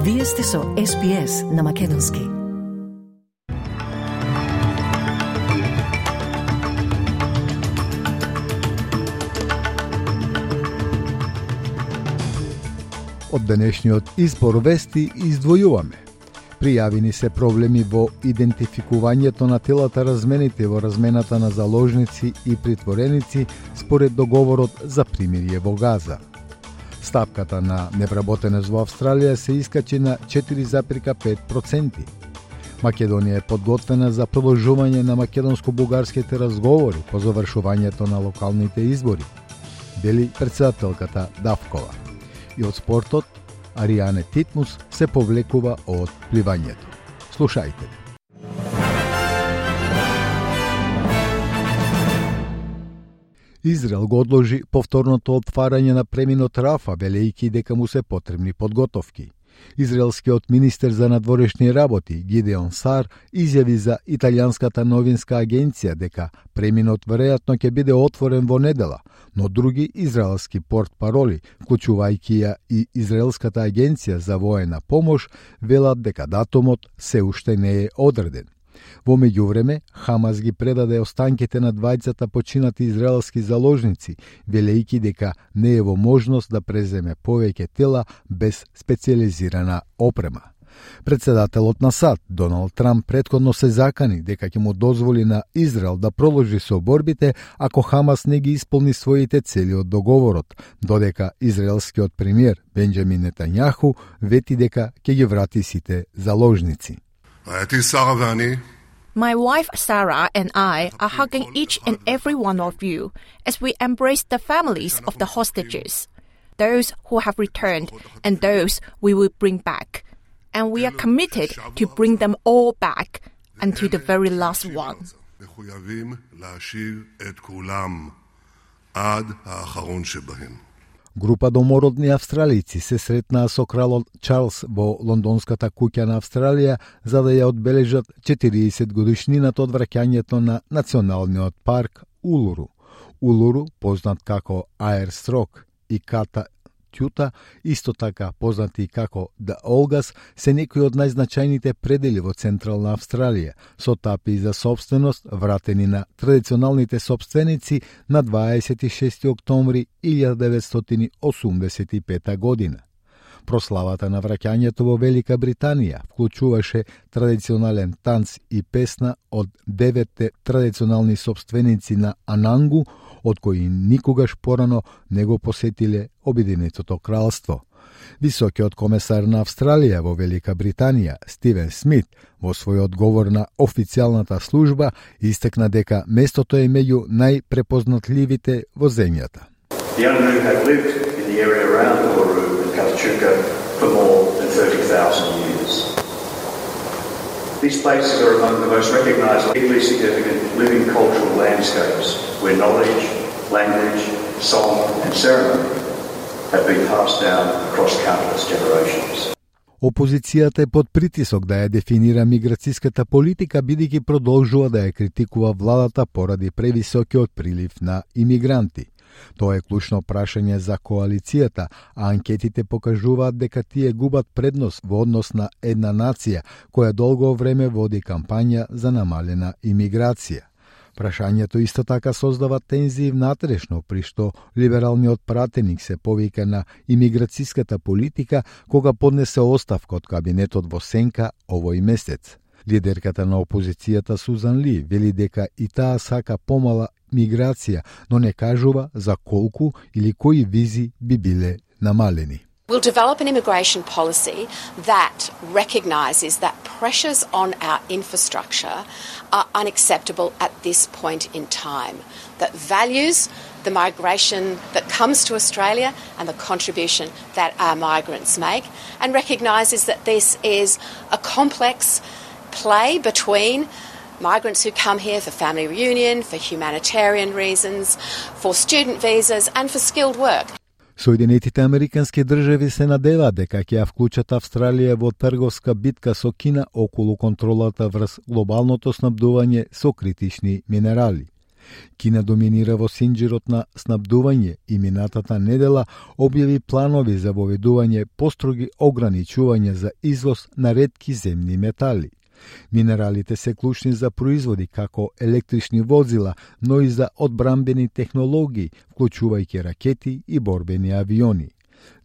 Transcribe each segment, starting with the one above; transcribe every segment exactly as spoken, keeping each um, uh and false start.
Вие сте со Ес Би Ес на Македонски. Од денешниот избор вести издвојуваме. Пријавени се проблеми во идентификувањето на телата размените во размената на заложници и притвореници според договорот за примирие во Газа. Стапката на невработеност во Австралија се искачи на четири запирка пет проценти. Македонија е подготвена за продолжување на македонско-бугарските разговори по завршувањето на локалните избори, вели претседателката Давкова. И од спортот, Аријане Титмус се повлекува од пливањето. Слушајте. Израел го одложи повторното отварање на преминот Рафа, велејќи дека му се потребни подготовки. Израелскиот министер за надворешни работи Гидеон Сар изјави за италијанската новинска агенција дека преминот веројатно ќе биде отворен во недела, но други израелски портпароли, вклучувајќи ја и Израелската агенција за воена помош, велат дека датумот се уште не е одреден. Во меѓувреме, Хамас ги предаде останките на двајцата починати израелски заложници, велејќи дека не е во можност да преземе повеќе тела без специализирана опрема. Председателот на САД, Доналд Трамп, претходно се закани дека ќе му дозволи на Израел да продолжи со борбите ако Хамас не ги исполни своите цели од договорот, додека израелскиот премиер Бенџамин Нетањаху вети дека ќе ги врати сите заложници. My wife Sarah and I are hugging each and every one of you as we embrace the families of the hostages, those who have returned and those we will bring back. And we are committed to bring them all back until the very last one. Група домородни австралици се сретнаа со кралот Чарлс во лондонската куќа на Австралија за да ја одбележат четириесет годишнината од враќањето на националниот парк Улуру. Улуру, познат како Аерс Рок и Ката Тјута, исто така познати и како The Олгас, се некои од најзначајните предели во Централна Австралија, со тапи за собственост вратени на традиционалните собственици на дваесет и шести октомври илјада деветстотини осумдесет и пета година. Прославата на враќањето во Велика Британија вклучуваше традиционален танц и песна од деветте традиционални собственици на Анангу, од кои никогаш порано не го посетиле Обединетото кралство. Високиот комесар на Австралија во Велика Британија, Стивен Смит, во свој одговор на официјалната служба, истакна дека местото е меѓу најпрепознатливите во земјата. The Unangu have lived in the area around Uluru and Katachuka for more than thirty thousand years. These places are among the most recognised, deeply significant living cultural landscapes where knowledge, language, song and ceremony have been passed down across countless generations. Опозицијата е под притисок да ја дефинира миграцијската политика, бидејќи продолжува да ја критикува владата поради превисокиот прилив на имигранти. Тоа е клучно прашање за коалицијата, а анкетите покажуваат дека тие губат предност во однос на една нација која долго време води кампања за намалена имиграција. Прашањето исто така создава тензии внатрешно, при што либералниот пратеник се повика на имиграцијската политика кога поднесе оставка од кабинетот во сенка овој месец. Лидерката на опозицијата Сузан Ли вели дека и таа сака помала миграција, но не кажува за колку или кои визи би биле намалени. We'll develop an immigration policy that recognises that pressures on our infrastructure are unacceptable at this point in time, that values the migration that comes to Australia and the contribution that our migrants make, and recognises that this is a complex play between migrants who come here for family reunion, for humanitarian reasons, for student visas and for skilled work. Соединетите Американски држави се надеваат дека ќе ја вклучат Австралија во трговска битка со Кина околу контролата врз глобалното снабдување со критични минерали. Кина доминира во синџирот на снабдување и минатата недела објави планови за воведување построги ограничувања за извоз на ретки земни метали. Минералите се клучни за производи како електрични возила, но и за одбрамбени технологии, вклучувајќи ракети и борбени авиони.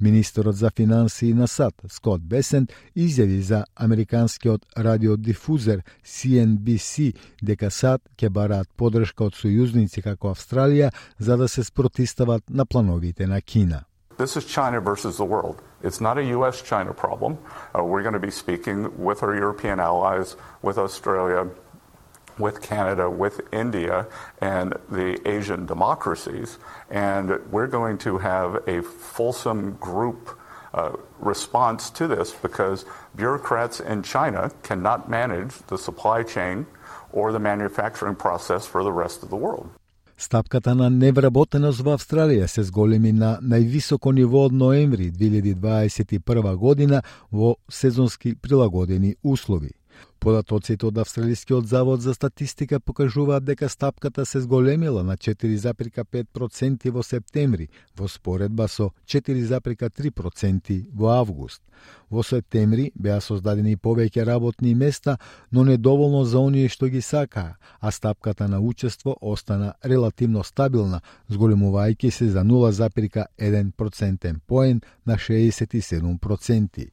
Министерот за финансии на САД, Скот Бесент, изјави за американскиот радиодифузер Си Ен Би Си дека САД ќе бараат подршка од сојузници како Австралија за да се спротистават на плановите на Кина. This is China versus the world. It's not a U S China problem. Uh, we're going to be speaking with our European allies, with Australia, with Canada, with India, and the Asian democracies. And we're going to have a fulsome group uh, response to this because bureaucrats in China cannot manage the supply chain or the manufacturing process for the rest of the world. Стапката на невработеност во Австралија се зголеми на највисоко ниво од ноември две илјади дваесет и прва година во сезонски прилагодени услови. Податоците од Австралискиот завод за статистика покажуваат дека стапката се зголемила на четири запирка пет проценти во септември, во споредба со четири запирка три проценти во август. Во септември беа создадени повеќе работни места, но недоволно за оние што ги сакаа, а стапката на учество остана релативно стабилна, зголемувајќи се за нула запирка еден процентен поен на шеесет и седум проценти.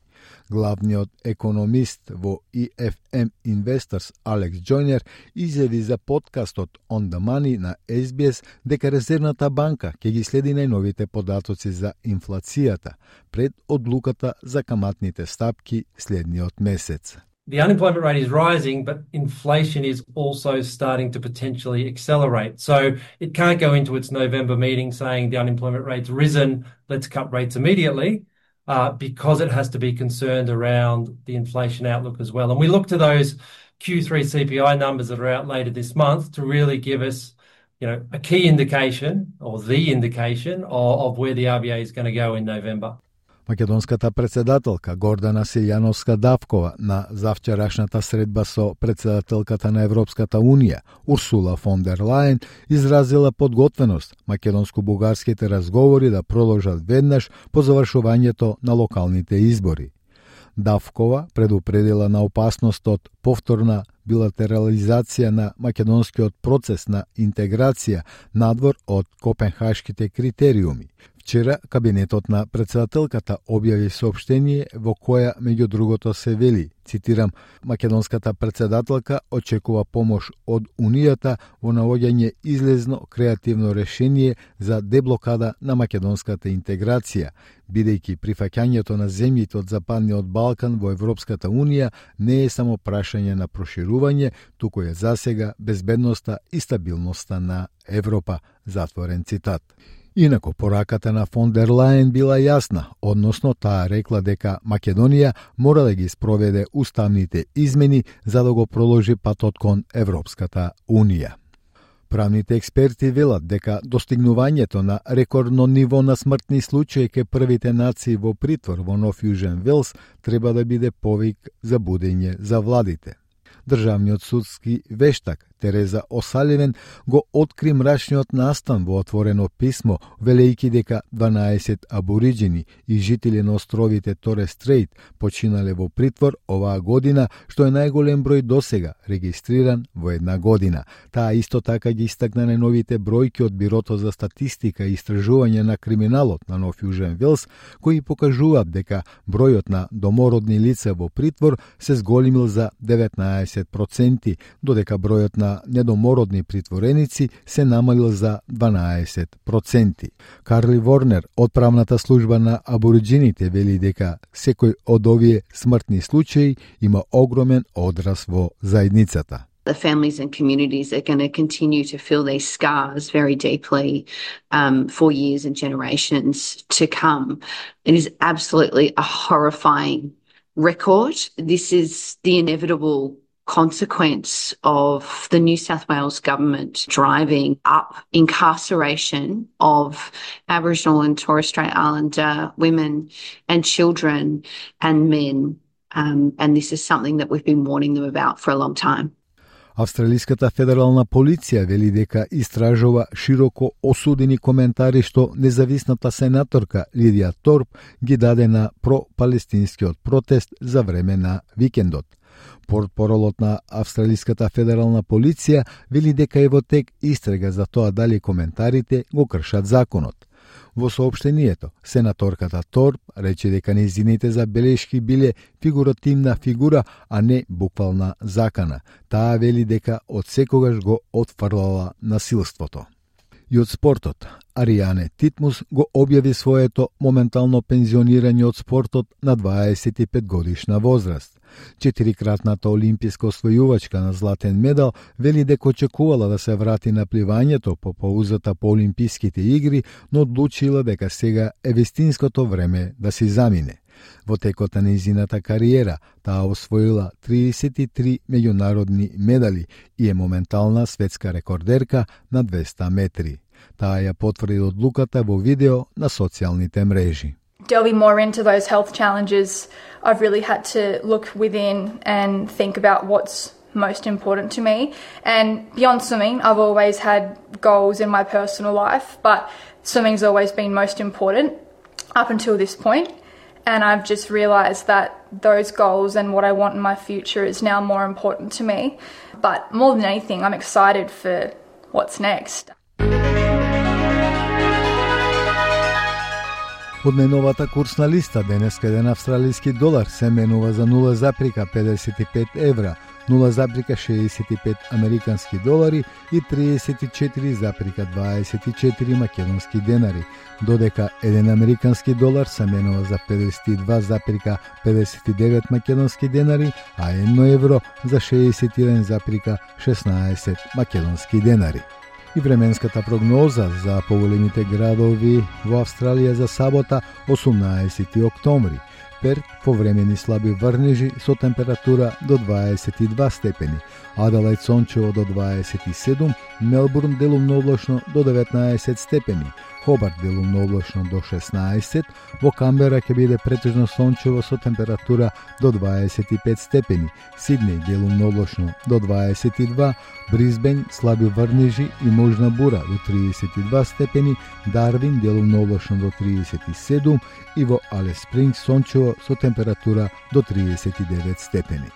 Главниот економист во И Еф Ем Investors Алекс Джойнер изјави за подкастот On the Money на Ес Би Ес дека Резервната банка ќе ги следи најновите податоци за инфлацијата пред одлуката за каматните стапки следниот месец. The unemployment rate is rising, but inflation is also starting to potentially accelerate. So it can't go into its November meeting saying the unemployment rate's risen, let's cut rates immediately. Uh, because it has to be concerned around the inflation outlook as well. And we look to those Q three C P I numbers that are out later this month to really give us, you know, a key indication or the indication of, of where the R B A is going to go in November. Македонската председателка Гордана Силјановска-Давкова на завчерашната средба со председателката на Европската Унија Урсула фон дер Лајен изразила подготвеност македонско-бугарските разговори да продолжат веднаш по завршувањето на локалните избори. Давкова предупредила на опасност од повторна билатерализација на македонскиот процес на интеграција надвор од копенхашките критериуми. Вчера кабинетот на председателката објави соопштение во која меѓу другото се вели, цитирам, македонската председателка очекува помош од Унијата во наоѓање излезно креативно решение за деблокада на македонската интеграција, бидејќи прифаќањето на земјите од Западниот Балкан во Европската Унија не е само прашање на проширување, туку е засега безбедноста и стабилноста на Европа, затворен цитат. Инако, пораката на фон дер Лајен била јасна, односно таа рекла дека Македонија мора да ги спроведе уставните измени за да го проложи патот кон Европската Унија. Правните експерти велат дека достигнувањето на рекордно ниво на смртни случаи ке првите нации во притвор во Нов Јужен Велс треба да биде повик за будење за владите. Државниот судски вештак Тереза Осаливен го откри мрачниот настан во отворено писмо, велејќи дека дванаесет абориџини и жители на островите Торес Стрейт починале во притвор оваа година, што е најголем број досега регистриран во една година. Таа исто така ги истакна најновите бројки од Бирото за статистика и истражување на криминалот на Нов Јужен Велс, кои покажуваат дека бројот на домородни лица во притвор се зголемил за деветнаесет проценти, додека бројот на недомородни притвореници се намалил за дванаесет проценти. Карли Ворнер од правната служба на абориџините вели дека секој од овие смртни случаи има огромен одраз во заедницата. The families and communities are going to continue to feel these scars very deeply um, for years and generations to come. It is absolutely a horrifying record. This is the inevitable consequence of the New South Wales government driving up incarceration of Aboriginal and Torres Strait Islander women and children and men. Um, and this is something that we've been warning them about for a long time. Австралиската федерална полиција вели дека истражува широко осудени коментари што независната сенаторка Лидија Торп ги даде на пропалестинскиот протест за време на викендот. Портпаролот на Австралиската федерална полиција вели дека е во тек истрага за тоа дали коментарите го кршат законот. Во соопштението, сенаторката Торп рече дека нејзините забелешки биле фигуративна фигура, а не буквална закана. Таа вели дека од секогаш го отфрлала насилството. И од спортот, Аријане Титмус го објави своето моментално пензионирање од спортот на дваесет и пет годишна возраст. Четирикратната олимписка освојувачка на златен медал вели дека очекувала да се врати на пливањето по паузата по олимписките игри, но одлучила дека сега е вистинското време да си замине. Во текот на нејзината кариера, таа освоила триесет и три меѓународни медали и е моментална светска рекордерка на двеста метри. Таа ја потврди одлуката во видео на социјалните мрежи. Delving more into those health challenges, I've really had to look within and think about what's most important to me. And beyond swimming, I've always had goals in my personal life, but swimming's always been most important up until this point. And I've just realised that those goals and what I want in my future is now more important to me. But more than anything, I'm excited for what's next. Од најновата курсна листа денеска еден австралиски долар се менува за нула запирка педесет и пет евра, нула запирка шеесет и пет американски долари и триесет и четири запирка дваесет и четири македонски денари, додека еден американски долар се менува за педесет и два запирка педесет и девет македонски денари, а едно евро за шеесет и еден запирка шеснаесет македонски денари. И временската прогноза за поголемите градови во Австралија за сабота осумнаесети октомври. Перт повремени слаби врнежи со температура до дваесет и два степени, Аделаид сончево до дваесет и седум, Мелбурн делумно облачно до деветнаесет степени, Хобарт делумно облачно до шеснаесет, во Камбера ќе биде претежно сончево со температура до дваесет и пет степени, Сиднеј делумно облачно до дваесет и два, Брисбен слаби врнежи и можна бура до триесет и два степени, Дарвин делумно облачно до триесет и седум и во Алис Спрингс сончево со температура до триесет и девет степени.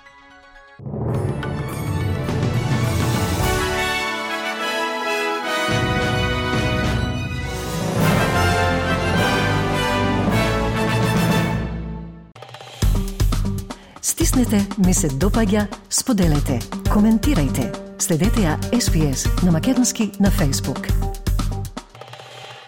Стиснете, ми се допаѓа, споделете, коментирајте. Следете ја Ес Би Ес на македонски на Facebook.